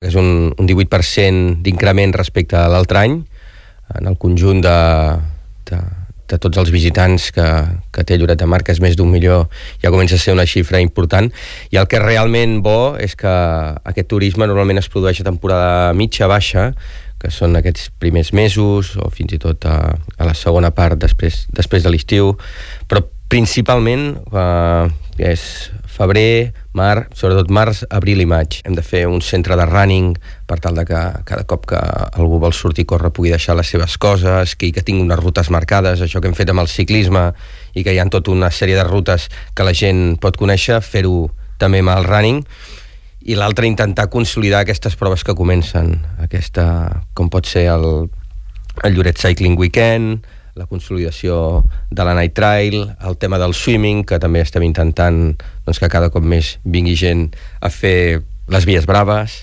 És un 18% d'increment respecte a l'altre any en el conjunt de tots els visitants que té Lloret de Mar, que és més d'1 milió, ja comença a ser una xifra important. I el que és realment bo és que aquest turisme normalment es produeix a temporada mitja-baixa, que són aquests primers mesos o fins i tot a la segona part després de l'estiu, però principalment és febrer, sobretot març, abril i maig. Hem de fer un centre de running per tal de que cada cop que algú vol sortir a córrer pugui deixar les seves coses, que tingui unes rutes marcades, això que hem fet amb el ciclisme, i que hi ha tota una sèrie de rutes que la gent pot conèixer, fer-ho també amb el running. I l'altre, intentar consolidar aquestes proves que comencen, com pot ser el Lloret Cycling Weekend, la consolidació de la Night Trail, el tema del swimming, que també estem intentant que cada cop més vingui gent a fer les vies braves.